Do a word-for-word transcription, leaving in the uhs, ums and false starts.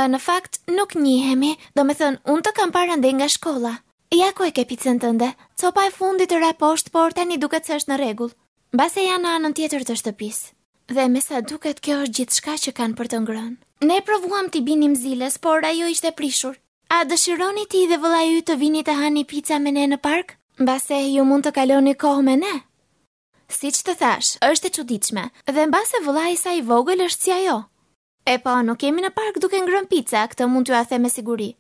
Në fakt, nuk njihemi, domethënë, unë të kam parë andej nga shkolla. Ja ku e ke picën tënde. Copa e fundit ra poshtë, por tani duket se është në rregull. Mbase janë në anën tjetër të shtëpisë. Dhe me sa duket kjo është gjithçka që kanë për të ngrënë. Ne provuam t'i binim ziles, por ajo ishte prishur. A dëshironi ti dhe vëllai yt të vini të hani pica me ne në park? Mbase ju mund të kaloni kohë me ne. Siç të thashë, është e çuditshme, dhe mbase vëllai i saj i vogël është si ajo. E po, nuk jemi në park duke ngrënë pica, këtë mund t'jua them me siguri.